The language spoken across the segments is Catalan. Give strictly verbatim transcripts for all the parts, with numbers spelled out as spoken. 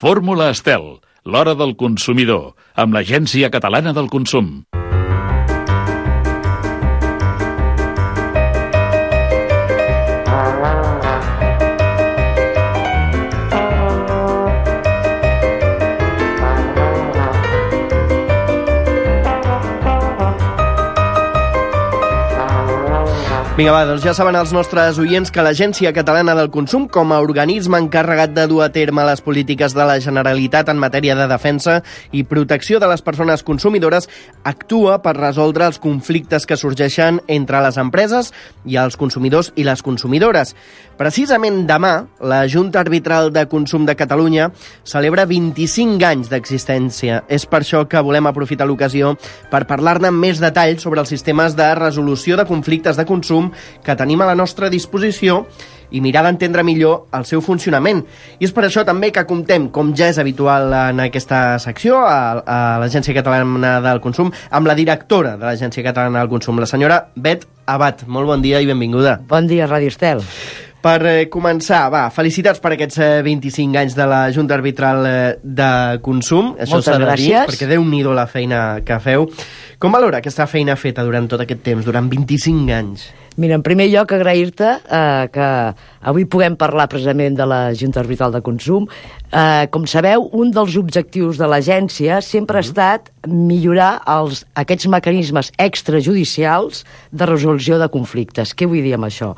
Fórmula Estel, l'hora del consumidor, amb l'Agència Catalana del Consum. Vinga, va, doncs ja saben els nostres oients que l'Agència Catalana del Consum, com a organisme encarregat de dur a terme les polítiques de la Generalitat en matèria de defensa i protecció de les persones consumidores, actua per resoldre els conflictes que sorgeixen entre les empreses i els consumidors i les consumidores. Precisament demà, la Junta Arbitral de Consum de Catalunya celebra vint-i-cinc anys d'existència. És per això que volem aprofitar l'ocasió per parlar-ne amb més detall sobre els sistemes de resolució de conflictes de consum que tenim a la nostra disposició i mirar d'entendre millor el seu funcionament. I és per això també que comptem, com ja és habitual en aquesta secció, a, a l'Agència Catalana del Consum, amb la directora de l'Agència Catalana del Consum, la senyora Bet Abad. Molt bon dia i benvinguda. Bon dia, Ràdio Estel. Per eh, començar, va, felicitats per aquests eh, vint-i-cinc anys de la Junta Arbitral eh, de Consum. Això Moltes s'ha de dir, gràcies. perquè Déu-n'hi-do la feina que feu. Com valora aquesta feina feta durant tot aquest temps, durant vint-i-cinc anys? Mira, en primer lloc, agrair-te eh, que avui puguem parlar precisament de la Junta Arbitral de Consum. Eh, com sabeu, un dels objectius de l'agència sempre ha estat millorar els, aquests mecanismes extrajudicials de resolució de conflictes. Què vull dir amb això?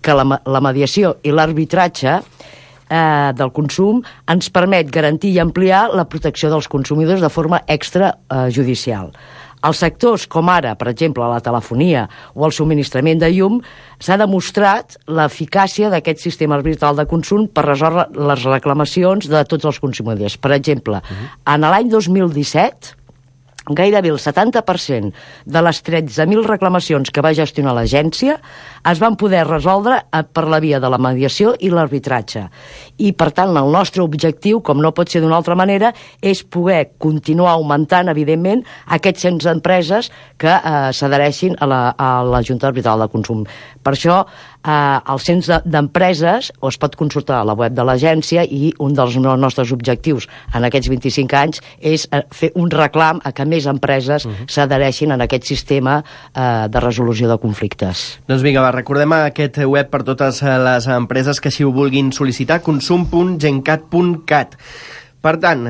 Que la, la mediació i l'arbitratge eh, del consum ens permet garantir i ampliar la protecció dels consumidors de forma extrajudicial. Els sectors com ara, per exemple, la telefonia o el subministrament de llum, s'ha demostrat l'eficàcia d'aquest sistema arbitral de consum per resoldre les reclamacions de tots els consumidors. Per exemple, uh-huh. en l'any dos mil disset, gairebé el setanta per cent de les tretze mil reclamacions que va gestionar l'agència es van poder resoldre per la via de la mediació i l'arbitratge. I, per tant, el nostre objectiu, com no pot ser d'una altra manera, és poder continuar augmentant, evidentment, aquests cents empreses que eh, s'adhereixin a la, a la Junta Arbitral de Consum. Per això, eh, els cents d'empreses o es pot consultar a la web de l'agència i un dels nostres objectius en aquests vint-i-cinc anys és fer un reclam a que més empreses uh-huh. s'adhereixin en aquest sistema eh, de resolució de conflictes. Doncs vinga, va, recordem aquest web per totes les empreses que així ho vulguin sol·licitar, consum punt gencat punt cat. Per tant,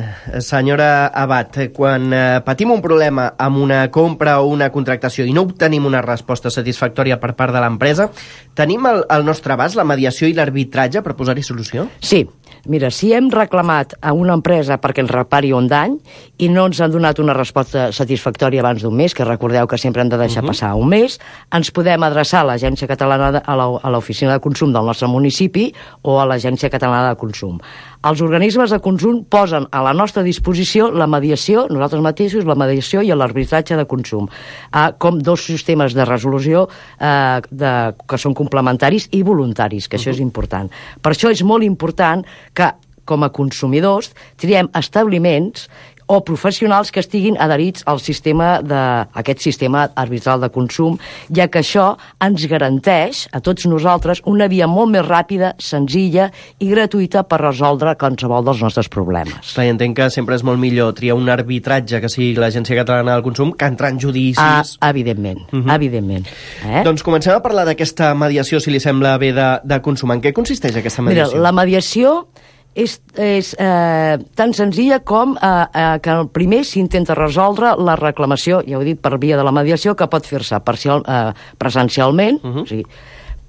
senyora Abad, quan patim un problema amb una compra o una contractació i no obtenim una resposta satisfactòria per part de l'empresa, tenim al, al nostre abast la mediació i l'arbitratge per posar-hi solució? Sí. Mira, si hem reclamat a una empresa perquè ens repari un dany i no ens han donat una resposta satisfactòria abans d'un mes, que recordeu que sempre hem de deixar uh-huh. passar un mes, ens podem adreçar a l'Agència Catalana de, a l'Oficina de Consum del nostre municipi o a l'Agència Catalana de Consum. Els organismes de consum posen a la nostra disposició la mediació, nosaltres mateixos, la mediació i l'arbitratge de consum, eh, com dos sistemes de resolució eh, de, que són complementaris i voluntaris, que uh-huh. això és important. Per això és molt important que, com a consumidors, triem establiments o professionals que estiguin adherits al sistema de, aquest sistema arbitral de consum, ja que això ens garanteix a tots nosaltres una via molt més ràpida, senzilla i gratuïta per resoldre qualsevol dels nostres problemes. Clar, entenc que sempre és molt millor triar un arbitratge que sigui l'Agència Catalana del Consum que entrar en judicis... Ah, evidentment, uh-huh. evidentment. Eh? Doncs comencem a parlar d'aquesta mediació, si li sembla bé, de, de consum. En què consisteix aquesta mediació? Mira, la mediació és, és eh, tan senzilla com eh, eh, que el primer s'intenta resoldre la reclamació, ja ho he dit, per via de la mediació, que pot fer-se parcial, eh, presencialment, uh-huh. o sigui,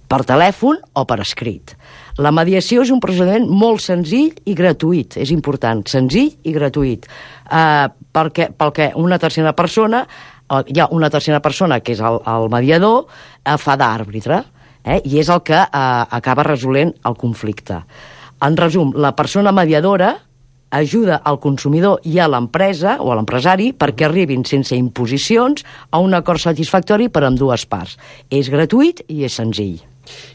per telèfon o per escrit. La mediació és un procediment molt senzill i gratuït, és important, senzill i gratuït, eh, perquè, perquè una tercera persona, eh, hi ha una tercera persona que és el, el mediador, eh, fa d'àrbitre, eh, i és el que eh, acaba resolent el conflicte. En resum, la persona mediadora ajuda al consumidor i a l'empresa o a l'empresari perquè arribin sense imposicions a un acord satisfactori per a ambdues parts. És gratuït i és senzill.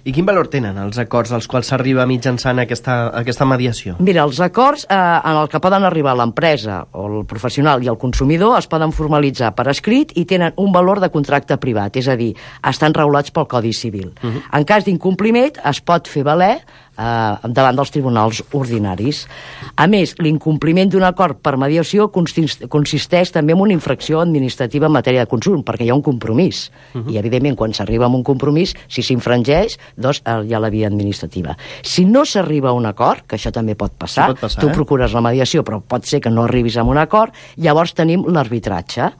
I quin valor tenen els acords als quals s'arriba mitjançant aquesta, aquesta mediació? Mira, els acords eh, en el que poden arribar l'empresa o el professional i el consumidor es poden formalitzar per escrit i tenen un valor de contracte privat, és a dir, estan regulats pel Codi Civil. Uh-huh. En cas d'incompliment es pot fer valer eh, davant dels tribunals ordinaris. A més, l'incompliment d'un acord per mediació consisteix també en una infracció administrativa en matèria de consum, perquè hi ha un compromís. Uh-huh. I, evidentment, quan s'arriba a un compromís, si s'infringeix, doncs hi ha la via administrativa. Si no s'arriba a un acord, que això també pot passar, sí, pot passar tu eh? procures la mediació, però pot ser que no arribis a un acord, llavors tenim l'arbitratge.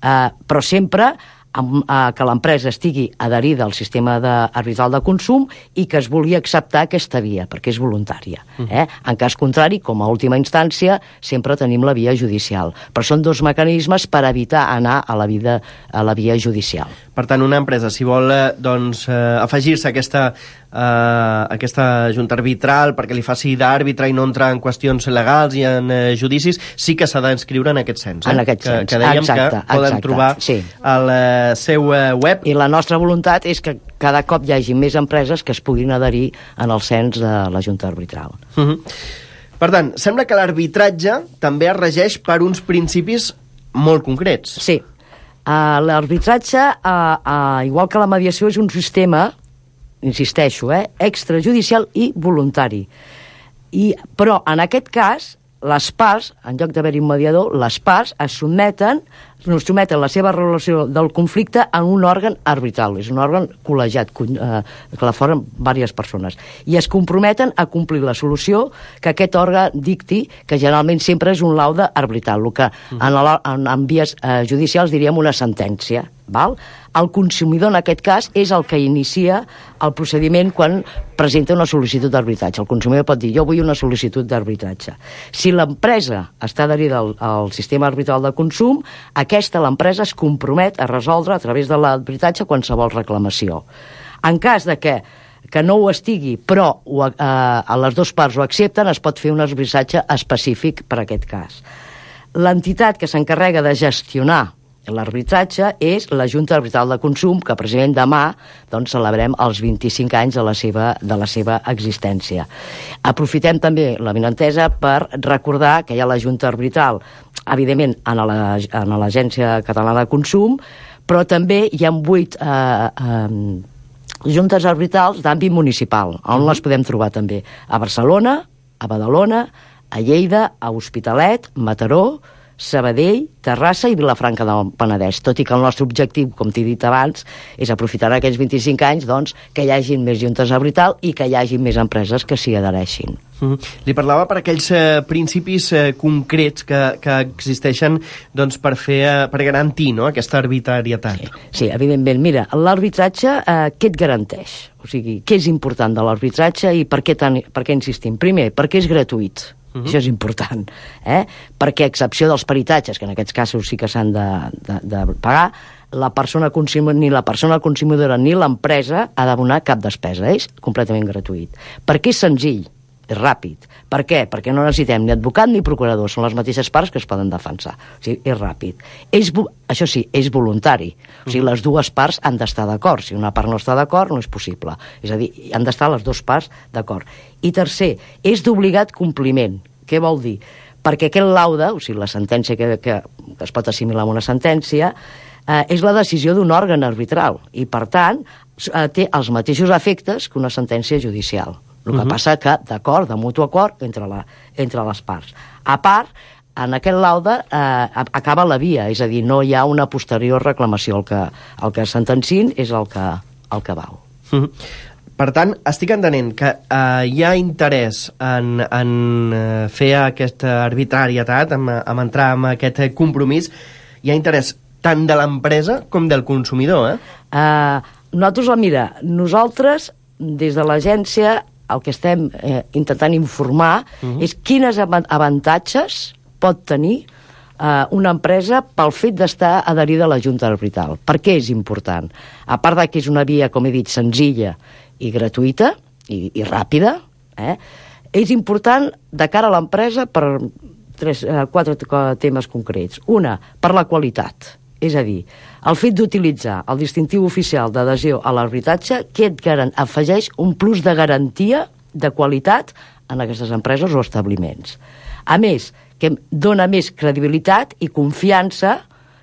Eh, però sempre amb, eh, que l'empresa estigui adherida al sistema de, arbitral de consum i que es vulgui acceptar aquesta via, perquè és voluntària. Eh? En cas contrari, com a última instància, sempre tenim la via judicial. Però són dos mecanismes per evitar anar a la, vida, a la via judicial. Per tant, una empresa, si vol eh, doncs, eh, afegir-se a aquesta, eh, aquesta junta arbitral perquè li faci d'àrbitre i no entrar en qüestions legals i en eh, judicis, sí que s'ha d'inscriure en aquest cens. Eh? En aquest que, cens, que dèiem exacte, que poden exacte, trobar sí. al eh, seu eh, web. I la nostra voluntat és que cada cop hi hagi més empreses que es puguin adherir en el cens de la junta arbitral. Uh -huh. Per tant, sembla que l'arbitratge també es regeix per uns principis molt concrets. Sí. Uh, l'arbitratge, uh, uh, igual que la mediació, és un sistema, insisteixo, eh, extrajudicial i voluntari. I, però, en aquest cas, les parts, en lloc d'haver-hi un mediador, les parts es sotmeten, es sotmeten la seva relació del conflicte en un òrgan arbitral. És un òrgan col·legiat, eh, que la formen diverses persones. I es comprometen a complir la solució que aquest òrgan dicti, que generalment sempre és un laude arbitral, el que en, la, en, en vies eh, judicials diríem una sentència. Val? El consumidor, en aquest cas, és el que inicia el procediment quan presenta una sol·licitud d'arbitratge. El consumidor pot dir, jo vull una sol·licitud d'arbitratge. Si l'empresa està adherida al, al sistema arbitral de consum, aquesta, l'empresa, es compromet a resoldre a través de l'arbitratge qualsevol reclamació. En cas de que, que no ho estigui, però ho, eh, a les dues parts ho accepten, es pot fer un arbitratge específic per a aquest cas. L'entitat que s'encarrega de gestionar l'arbitratge és la Junta Arbitral de Consum, que precisament demà doncs, celebrem els vint-i-cinc anys de la seva, de la seva existència. Aprofitem també la benentesa per recordar que hi ha la Junta Arbitral, evidentment, en l'Agència Catalana de Consum, però també hi ha vuit eh, eh, juntes arbitrals d'àmbit municipal, on les podem trobar també a Barcelona, a Badalona, a Lleida, a Hospitalet, Mataró, Sabadell, Terrassa i Vilafranca del Penedès, tot i que el nostre objectiu, com t'he dit abans, és aprofitar aquests vint-i-cinc anys doncs, que hi hagi més juntes arbitral i que hi hagi més empreses que s'hi adhereixin. Mm. Li parlava per aquells eh, principis eh, concrets que, que existeixen doncs, per, fer, eh, per garantir no, aquesta arbitrarietat. Sí, sí, evidentment. Mira, l'arbitratge, eh, què et garanteix? O sigui, què és important de l'arbitratge i per què, tan, per què insistim? Primer, perquè és gratuït. Uh-huh. Això és important, eh? Perquè a excepció dels peritatges, que en aquests casos sí que s'han de, de, de pagar, la persona consumidora, ni la persona consumidora ni l'empresa ha d'abonar cap despesa, és completament gratuït. Perquè és senzill, és ràpid. Per què? Perquè no necessitem ni advocat ni procurador, són les mateixes parts que es poden defensar. O sigui, és ràpid. És, això sí, és voluntari. O sigui, les dues parts han d'estar d'acord. Si una part no està d'acord, no és possible. És a dir, han d'estar les dues parts d'acord. I tercer, és d'obligat compliment. Què vol dir? Perquè aquest laude, o sigui, la sentència que, que es pot assimilar amb una sentència, eh, és la decisió d'un òrgan arbitral i, per tant, eh, té els mateixos efectes que una sentència judicial. El que uh-huh. passa que, d'acord, de mutu acord entre, la, entre les parts. A part, en aquest laude eh, acaba la via, és a dir, no hi ha una posterior reclamació. El que, el que sentencin és el que, el que val. Uh-huh. Per tant, estic entenent que eh, hi ha interès en, en eh, fer aquesta arbitrarietat, en, en entrar en aquest compromís, hi ha interès tant de l'empresa com del consumidor, eh? Uh, nosaltres, mira, nosaltres, des de l'agència, el que estem eh, intentant informar uh-huh. és quines avantatges pot tenir eh, una empresa pel fet d'estar adherida a la Junta Arbitral. Per què és important? A part de que és una via, com he dit, senzilla i gratuïta i, i ràpida, eh? És important de cara a l'empresa per tres, eh, quatre temes concrets. Una, per la qualitat. És a dir, el fet d'utilitzar el distintiu oficial d'adhesió a l'arbitratge que et garan, afegeix un plus de garantia de qualitat en aquestes empreses o establiments. A més, que dona més credibilitat i confiança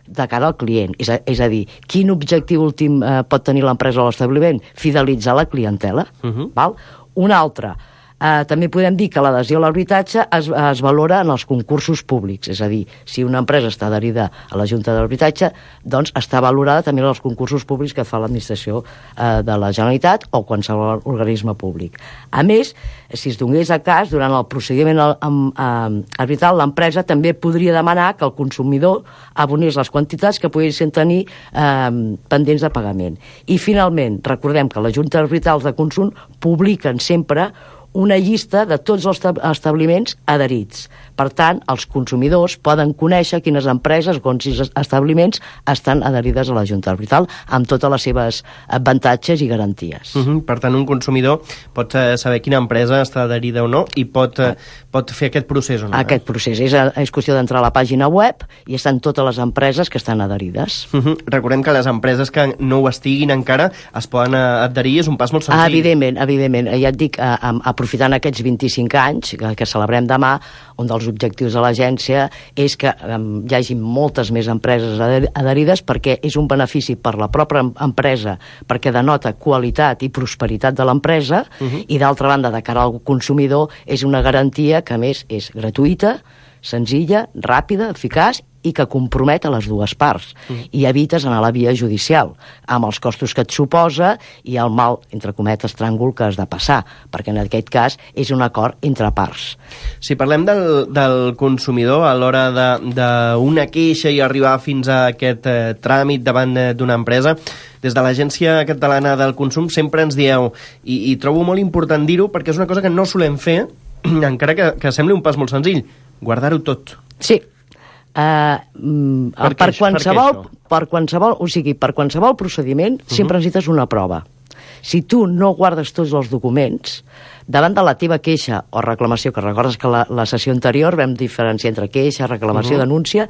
de cara al client. És a, és a dir, quin objectiu últim eh, pot tenir l'empresa o l'establiment? Fidelitzar la clientela. Uh-huh. Val? Una altra, Uh, també podem dir que l'adhesió a l'arbitratge es, es valora en els concursos públics, és a dir, si una empresa està adherida a la Junta d'Arbitratge, doncs està valorada també en els concursos públics que fa l'administració uh, de la Generalitat o qualsevol organisme públic. A més, si es donés a cas, durant el procediment arbitral, l'empresa també podria demanar que el consumidor abonés les quantitats que poguessin tenir eh, pendents de pagament. I, finalment, recordem que les Juntes Arbitrals de Consum publiquen sempre una llista de tots els establiments adherits. Per tant, els consumidors poden conèixer quines empreses o quins establiments estan adherides a la Junta Arbitral amb totes les seves avantatges i garanties. Uh -huh. Per tant, un consumidor pot saber quina empresa està adherida o no i pot, uh, pot fer aquest procés o no? Aquest procés. És, és qüestió d'entrar a la pàgina web i estan totes les empreses que estan adherides. Uh -huh. Recordem que les empreses que no ho estiguin encara es poden adherir, és un pas molt senzill. Ah, evidentment, evidentment. Ja et dic, a, a, aprofitant aquests vint-i-cinc anys que, que celebrem demà, un dels objectius de l'agència és que um, hi hagi moltes més empreses adherides, perquè és un benefici per la pròpia empresa, perquè denota qualitat i prosperitat de l'empresa, uh-huh. i d'altra banda, de cara al consumidor, és una garantia que a més és gratuïta, senzilla, ràpida, eficaç i que compromet a les dues parts. Mm. I evites anar a la via judicial, amb els costos que et suposa i el mal, entre cometes, tràngol que has de passar, perquè en aquest cas és un acord entre parts. Si parlem del, del consumidor a l'hora d'una queixa i arribar fins a aquest eh, tràmit davant d'una empresa, des de l'Agència Catalana del Consum sempre ens dieu, i, i trobo molt important dir-ho, perquè és una cosa que no solem fer, encara que, que sembli un pas molt senzill, guardar-ho tot. Sí. Uh, per, per, qualsevol, per, per qualsevol, o sigui, per qualsevol procediment uh-huh. sempre necessites una prova. Si tu no guardes tots els documents, davant de la teva queixa o reclamació, que recordes que la, la sessió anterior vam diferenciar entre queixa, reclamació, uh-huh. denúncia,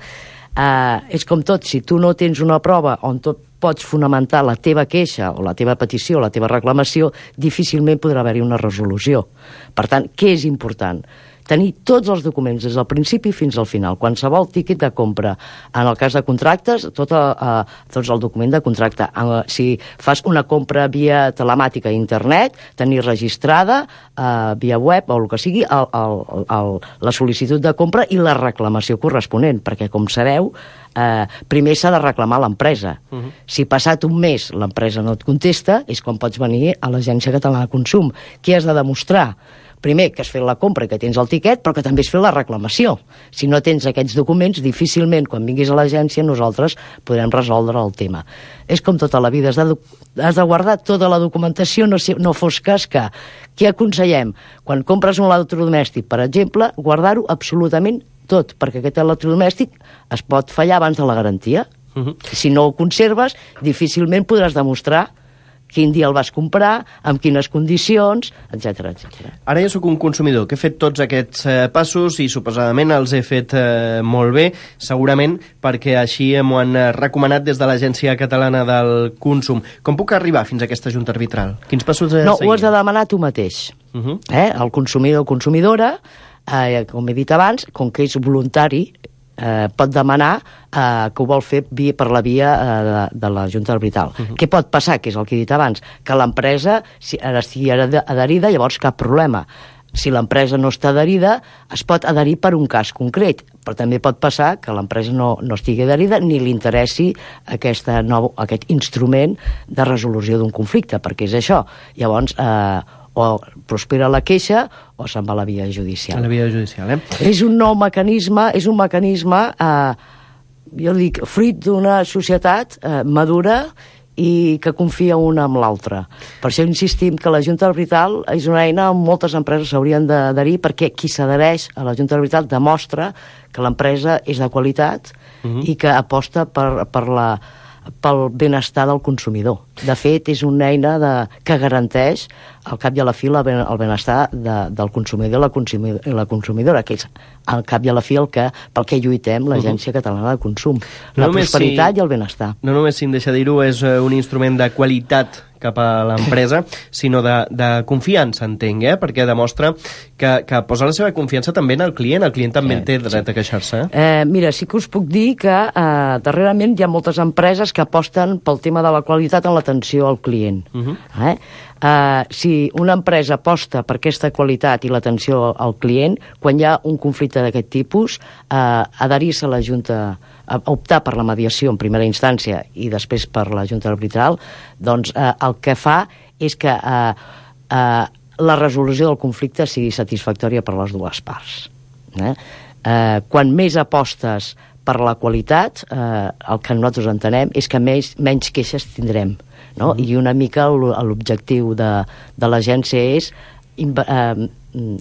uh, és com tot, si tu no tens una prova on tot pots fonamentar la teva queixa o la teva petició o la teva reclamació, difícilment podrà haver-hi una resolució. Per tant, què és important? Tenir tots els documents des del principi fins al final. Qualsevol tíquet de compra. En el cas de contractes, tot el, uh, tots el document de contracte. Uh, si fas una compra via telemàtica a internet, tenir registrada uh, via web o el que sigui, el, el, el, la sol·licitud de compra i la reclamació corresponent, perquè, com sabeu, uh, primer s'ha de reclamar l'empresa. Uh-huh. Si passat un mes l'empresa no et contesta, és quan pots venir a l'Agència Catalana de Consum. Què has de demostrar? Primer, que has fet la compra i que tens el tiquet, però que també has fet la reclamació. Si no tens aquests documents, difícilment, quan vinguis a l'agència, nosaltres podrem resoldre el tema. És com tota la vida, has de, has de guardar tota la documentació, no, no fos cas que... Què aconsellem? Quan compres un electrodomèstic, per exemple, guardar-ho absolutament tot, perquè aquest electrodomèstic es pot fallar abans de la garantia. Uh-huh. Si no ho conserves, difícilment podràs demostrar quin dia el vas comprar, amb quines condicions, etcètera, etcètera. Ara ja sóc un consumidor que he fet tots aquests eh, passos i suposadament els he fet eh, molt bé, segurament perquè així m'ho han recomanat des de l'Agència Catalana del Consum. Com puc arribar fins a aquesta junta arbitral? Quins passos he de no, seguir? No, ho has de demanar tu mateix. Uh-huh. eh? El consumidor o consumidora, eh, com he dit abans, com que és voluntari, Eh, pot demanar eh, que ho vol fer via, per la via eh, de, de la Junta Arbitral. Uh-huh. Què pot passar, que és el que he dit abans? Que l'empresa si, estigui adherida, llavors cap problema. Si l'empresa no està adherida, es pot adherir per un cas concret, però també pot passar que l'empresa no, no estigui adherida ni li interessi aquesta nou, aquest instrument de resolució d'un conflicte, perquè és això. Llavors, eh, o prospera la queixa o se'n va a la via judicial. A la via judicial, eh? És un nou mecanisme, és un mecanisme, eh, jo dic, fruit d'una societat eh, madura i que confia una amb l'altra. Per això insistim que la Junta Arbitral és una eina on moltes empreses s'haurien d'adherir, perquè qui s'adhereix a la Junta Arbitral demostra que l'empresa és de qualitat uh-huh. i que aposta per, per la pel benestar del consumidor. De fet, és una eina de, que garanteix al cap i a la fi el benestar de, del consumidor i la, consumidor, la consumidora, que és al cap i a la fi el que, pel que lluitem l'Agència Catalana de Consum. La no prosperitat si, i el benestar. No només, si em deixa dir-ho, és un instrument de qualitat cap a l'empresa, sinó de, de confiança, entenc, eh? Perquè demostra que, que posa la seva confiança també en el client. El client també sí, té dret sí. a queixar-se. Eh? Eh, mira, sí que us puc dir que eh, darrerament hi ha moltes empreses que aposten pel tema de la qualitat en l'atenció al client. Uh-huh. eh? Uh, si una empresa aposta per aquesta qualitat i l'atenció al client, quan hi ha un conflicte d'aquest tipus, uh, adherir-se a la Junta, a optar per la mediació en primera instància i després per la Junta Arbitral, doncs uh, el que fa és que uh, uh, la resolució del conflicte sigui satisfactòria per les dues parts. Eh? Uh, quan més apostes per la qualitat, eh, el que nosaltres entenem és que més, menys queixes tindrem. No? Mm. I una mica l'objectiu de, de l'agència és in, eh,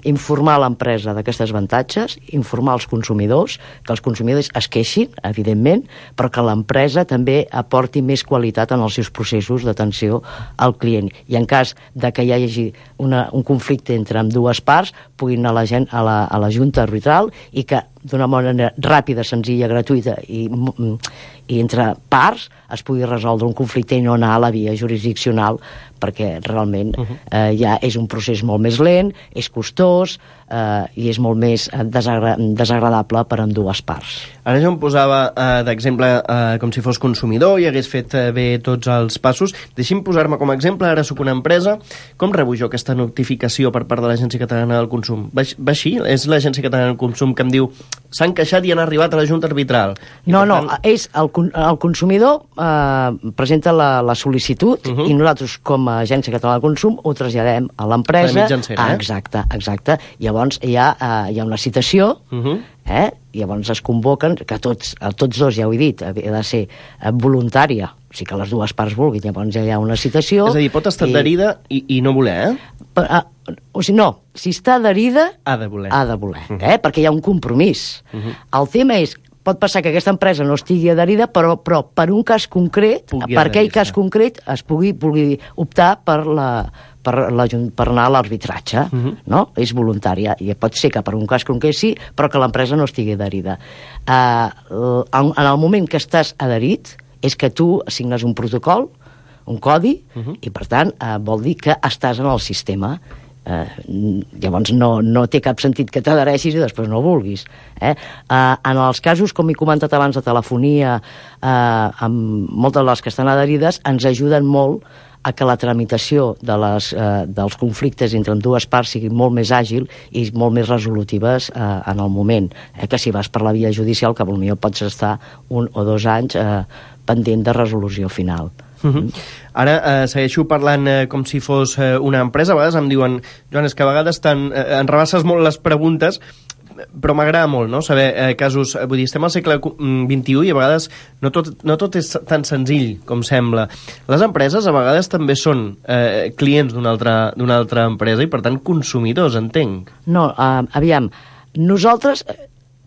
informar l'empresa d'aquestes avantatges, informar els consumidors, que els consumidors es queixin, evidentment, però que l'empresa també aporti més qualitat en els seus processos d'atenció al client. I en cas de que hi hagi una, un conflicte entre dues parts, puguin anar a la, gent, a la, a la Junta Arbitral i que d'una manera ràpida, senzilla, gratuïta i, i entre parts es pugui resoldre un conflicte i no anar a la via jurisdiccional, perquè realment uh-huh. eh, ja és un procés molt més lent, és costós eh, i és molt més desagra desagradable per a dues parts. Ara jo em posava eh, d'exemple eh, com si fos consumidor i hagués fet eh, bé tots els passos. Deixi'm posar-me com a exemple, ara sóc una empresa, com rebo jo aquesta notificació per part de l'Agència Catalana del Consum? Va, va així? És l'Agència Catalana del Consum que em diu s'han queixat i han arribat a la Junta Arbitral? I no, no, tant... és el, el consumidor eh, presenta la, la sol·licitud uh -huh. i nosaltres com a Agència Catalana del Consum ho traslladem a l'empresa. Ah, eh? Exacte, exacte. Llavors hi ha, eh, hi ha una citació, uh -huh. eh? i llavors es convoquen, que tots, tots dos, ja ho he dit, ha de ser voluntària, o sigui que les dues parts vulguin, llavors ja hi ha una citació. És a dir, pot estar i... adherida i, i no voler, eh? Per, uh, o sigui, no, si està adherida... Ha de voler. Ha de voler, uh -huh. eh? Perquè hi ha un compromís. Uh -huh. El tema és, pot passar que aquesta empresa no estigui adherida, però, però per un cas concret, pugui per aquell cas concret, es pugui, pugui optar per la... Per, la, per anar a l'arbitratge, uh -huh. no? És voluntària, i pot ser que per un cas concret sí, però que l'empresa no estigui adherida. Uh, en, en el moment que estàs adherit, és que tu assignes un protocol, un codi, uh -huh. i per tant uh, vol dir que estàs en el sistema. Uh, llavors no, no té cap sentit que t'adhereixis i després no vulguis. Eh? Uh, en els casos, com he comentat abans, de telefonia, uh, amb moltes de les que estan adherides, ens ajuden molt a que la tramitació de les, eh, dels conflictes entre dues parts sigui molt més àgil i molt més resolutives eh, en el moment. Eh, que si vas per la via judicial, que potser pots estar un o dos anys eh, pendent de resolució final. Uh -huh. Ara eh, segueixo parlant eh, com si fos eh, una empresa. A vegades em diuen, Joan, és que a vegades tan, eh, en rebasses molt les preguntes, però m'agrada molt, no?, saber eh, casos... Vull dir, estem al segle vint-i-u i a vegades no tot, no tot és tan senzill com sembla. Les empreses a vegades també són eh, clients d'una altra, d'una altra empresa i, per tant, consumidors, entenc. No, uh, aviam, nosaltres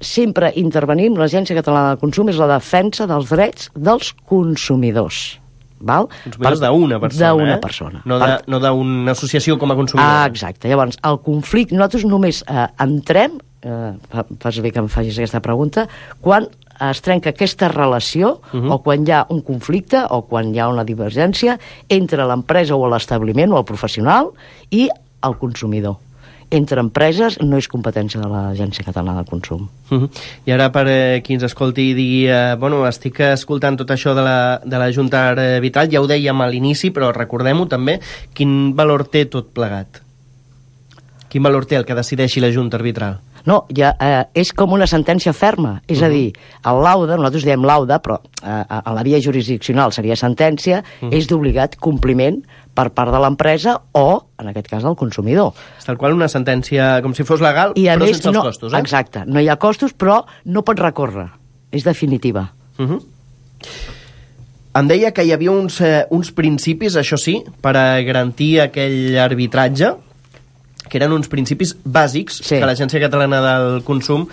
sempre intervenim, l'Agència Catalana del Consum és la defensa dels drets dels consumidors. Val? Consumidors d'una persona, D'una eh? persona. No d'una no associació com a consumidor. Ah, exacte. Llavors, el conflicte... Nosaltres només eh, entrem, eh, fas bé que em facis aquesta pregunta, quan es trenca aquesta relació, uh -huh. o quan hi ha un conflicte, o quan hi ha una divergència entre l'empresa o l'establiment o el professional i el consumidor. Entre empreses no és competència de l'Agència Catalana del Consum. Uh -huh. I ara, per eh, qui ens escolti i digui eh, bueno, estic escoltant tot això de la, de la Junta Arbitral, ja ho dèiem a l'inici, però recordem-ho també, quin valor té tot plegat? Quin valor té el que decideixi la Junta Arbitral? No, ja, eh, és com una sentència ferma, és uh -huh. a dir, el laude, nosaltres diem laude, però eh, a la via jurisdiccional seria sentència, uh -huh. és d'obligat compliment per part de l'empresa o, en aquest cas, del consumidor. És tal qual una sentència com si fos legal, I a però més, sense no, els costos, eh? Exacte, no hi ha costos, però no pot recórrer, és definitiva. Uh -huh. Em deia que hi havia uns, eh, uns principis, això sí, per a garantir aquell arbitratge, que eren uns principis bàsics sí. que l'Agència Catalana del Consum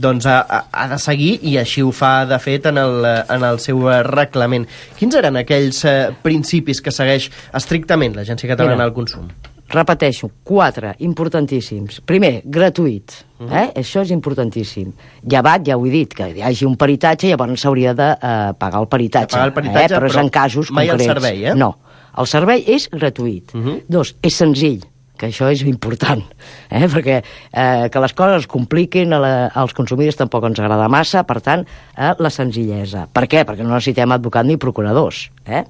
doncs, ha, ha, ha de seguir, i així ho fa, de fet, en el, en el seu reglament. Quins eren aquells eh, principis que segueix estrictament l'Agència Catalana Mira, del Consum? Repeteixo, quatre, importantíssims. Primer, gratuït. Uh -huh. eh? Això és importantíssim. Llevat, ja ho he dit, que hi hagi un peritatge, llavors s'hauria de eh, pagar el peritatge. Pagar el peritatge, eh? però, però és en casos mai concrets. El servei, eh? No, el servei és gratuït. Uh -huh. Dos, és senzill, que això és important, eh? perquè eh, que les coses es compliquin a la, als consumidors tampoc ens agrada massa, per tant, eh, la senzillesa. Per què? Perquè no necessitem advocat ni procuradors. Eh?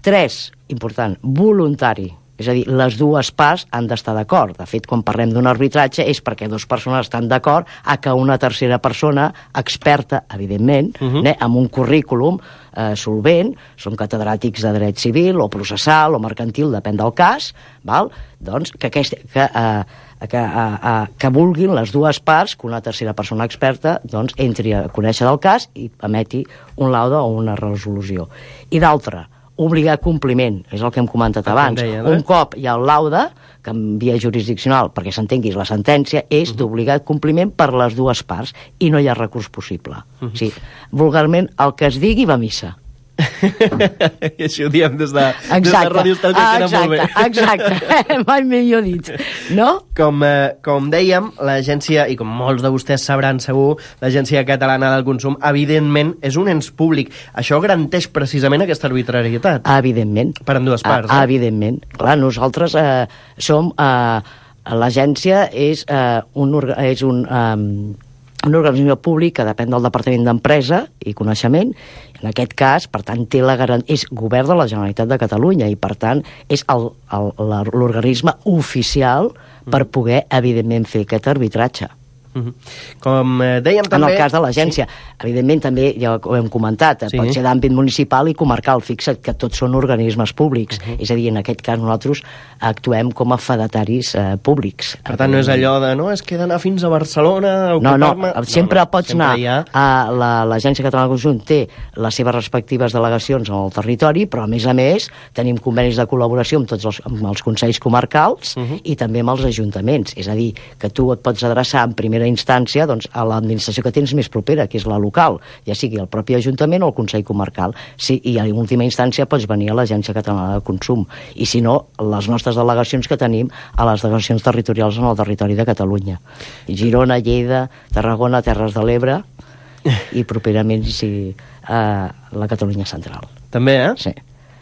Tres, important, voluntari. És a dir, les dues parts han d'estar d'acord. De fet, quan parlem d'un arbitratge és perquè dues persones estan d'acord a que una tercera persona, experta, evidentment, uh -huh. eh, amb un currículum eh, solvent, són catedràtics de dret civil o processal o mercantil, depèn del cas, val? Doncs que, aquest, que, eh, que, eh, eh, que vulguin les dues parts que una tercera persona experta doncs, entri a conèixer del cas i emeti un laude o una resolució. I d'altra, obligar compliment, és el que hem comentat abans. Deien, eh? Un cop hi ha el laude, que en via jurisdiccional, perquè s'entenguis la sentència, és uh -huh. d'obligat compliment per les dues parts, i no hi ha recurs possible. Uh -huh. O sigui, vulgarment, el que es digui va a missa. I això ho diem des de, des de Ràdio Estel, que queda molt bé. Exacte, mai millor dit, no? Com, eh, com dèiem, l'agència, i com molts de vostès sabran segur, l'Agència Catalana del Consum, evidentment, és un ens públic. Això garanteix precisament aquesta arbitrarietat. Evidentment. Per ambdues parts. A, eh? Evidentment. Clar, nosaltres eh, som... Eh, l'agència és eh, un... És un eh, un organisme públic que depèn del Departament d'Empresa i Coneixement. En aquest cas, per tant, té la garan... és govern de la Generalitat de Catalunya i, per tant, és l'organisme oficial per poder, evidentment, fer aquest arbitratge. Uh-huh. Com eh, dèiem també... En el cas de l'agència, sí. Evidentment també, ja ho hem comentat, sí. Pot ser d'àmbit municipal i comarcal, fixa't que tots són organismes públics, uh-huh. És a dir, en aquest cas nosaltres actuem com a fedataris eh, públics. Per tant, no és allò de, no, és que he d'anar fins a Barcelona a no, no, sempre no, no, pots sempre anar ha... a l'Agència la, Catalana del Consum, té les seves respectives delegacions en el territori, però a més a més tenim convenis de col·laboració amb tots els, amb els consells comarcals uh-huh. i també amb els ajuntaments, és a dir, que tu et pots adreçar en primera instància doncs, a l'administració que tens més propera, que és la local, ja sigui el propi ajuntament o el Consell Comarcal. Sí, i en última instància pots venir a l'Agència Catalana de Consum. I si no, les nostres delegacions que tenim a les delegacions territorials en el territori de Catalunya. Girona, Lleida, Tarragona, Terres de l'Ebre i properament sí, a la Catalunya Central. També, eh? Sí.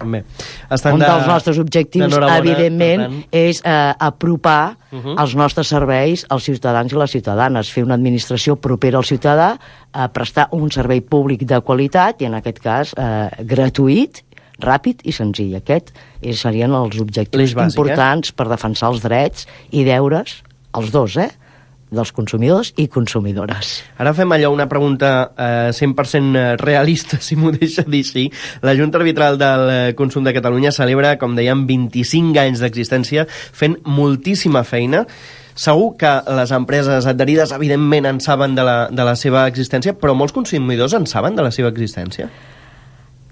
També. Estan Un de, dels nostres objectius, evidentment, és eh, apropar uh -huh. els nostres serveis als ciutadans i les ciutadanes, fer una administració propera al ciutadà, eh, prestar un servei públic de qualitat i, en aquest cas, eh, gratuït, ràpid i senzill. Aquest serien els objectius bàsic, importants eh? per defensar els drets i deures, els dos, eh? dels consumidors i consumidores. Ara fem allò una pregunta eh, cent per cent realista, si m'ho deixa dir així. La Junta Arbitral del Consum de Catalunya celebra, com dèiem, vint-i-cinc anys d'existència, fent moltíssima feina. Segur que les empreses adherides, evidentment, en saben de la, de la seva existència, però molts consumidors en saben de la seva existència?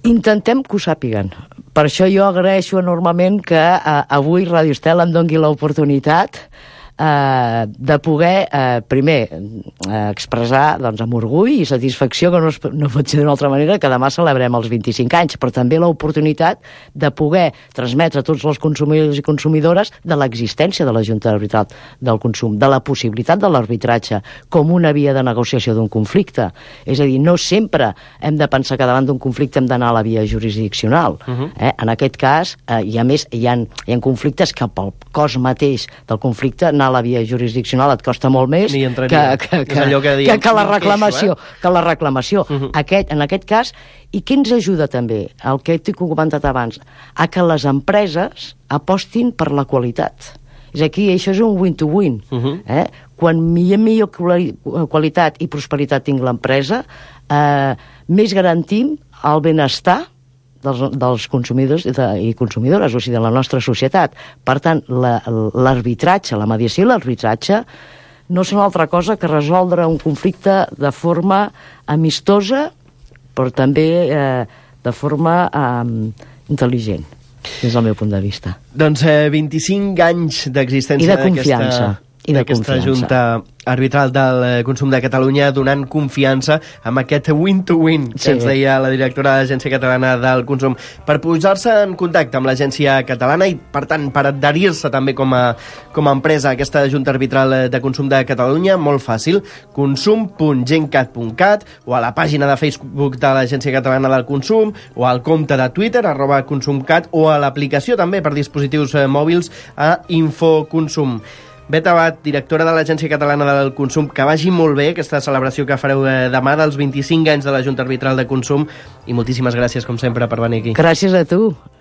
Intentem que ho sàpiguen. Per això jo agraeixo enormement que eh, avui Ràdio Estel em doni l'oportunitat Uh, de poder, uh, primer, uh, expressar doncs, amb orgull i satisfacció, que no, es, no pot ser d'una altra manera, que demà celebrem els vint-i-cinc anys, però també l'oportunitat de poder transmetre a tots els consumidors i consumidores de l'existència de la Junta Arbitral del Consum, de la possibilitat de l'arbitratge com una via de negociació d'un conflicte. És a dir, no sempre hem de pensar que davant d'un conflicte hem d'anar a la via jurisdiccional. Uh-huh. eh? En aquest cas, eh, i a més, hi ha, hi ha conflictes que pel cos mateix del conflicte anar a la via jurisdiccional et costa molt més que, que, que, que, que, diem, que, que la reclamació. Queixo, eh? Que la reclamació. Uh-huh. aquest, en aquest cas, i què ens ajuda també, el que t'he comentat abans, a que les empreses apostin per la qualitat. És aquí, això és un win-to-win. Uh-huh. eh? Quan millor, millor qualitat i prosperitat tinc l'empresa, eh, més garantim el benestar dels, dels consumidors i, de, i consumidores, o sigui, de la nostra societat. Per tant, l'arbitratge, la, la mediació i l'arbitratge no són altra cosa que resoldre un conflicte de forma amistosa, però també eh, de forma eh, intel·ligent, des del meu punt de vista. Doncs eh, vint-i-cinc anys d'existència d'aquesta d'aquesta Junta Arbitral del Consum de Catalunya, donant confiança amb aquest win-to-win que sí. ens deia la directora de l'Agència Catalana del Consum, per posar-se en contacte amb l'Agència Catalana i, per tant, per adherir-se també com a, com a empresa a aquesta Junta Arbitral de Consum de Catalunya, molt fàcil, consum punt gencat punt cat, o a la pàgina de Facebook de l'Agència Catalana del Consum, o al compte de Twitter, arroba consumcat, o a l'aplicació també per dispositius eh, mòbils a Infoconsum. Bet Abad, directora de l'Agència Catalana del Consum, que vagi molt bé aquesta celebració que fareu demà dels vint-i-cinc anys de la Junta Arbitral de Consum, i moltíssimes gràcies, com sempre, per venir aquí. Gràcies a tu.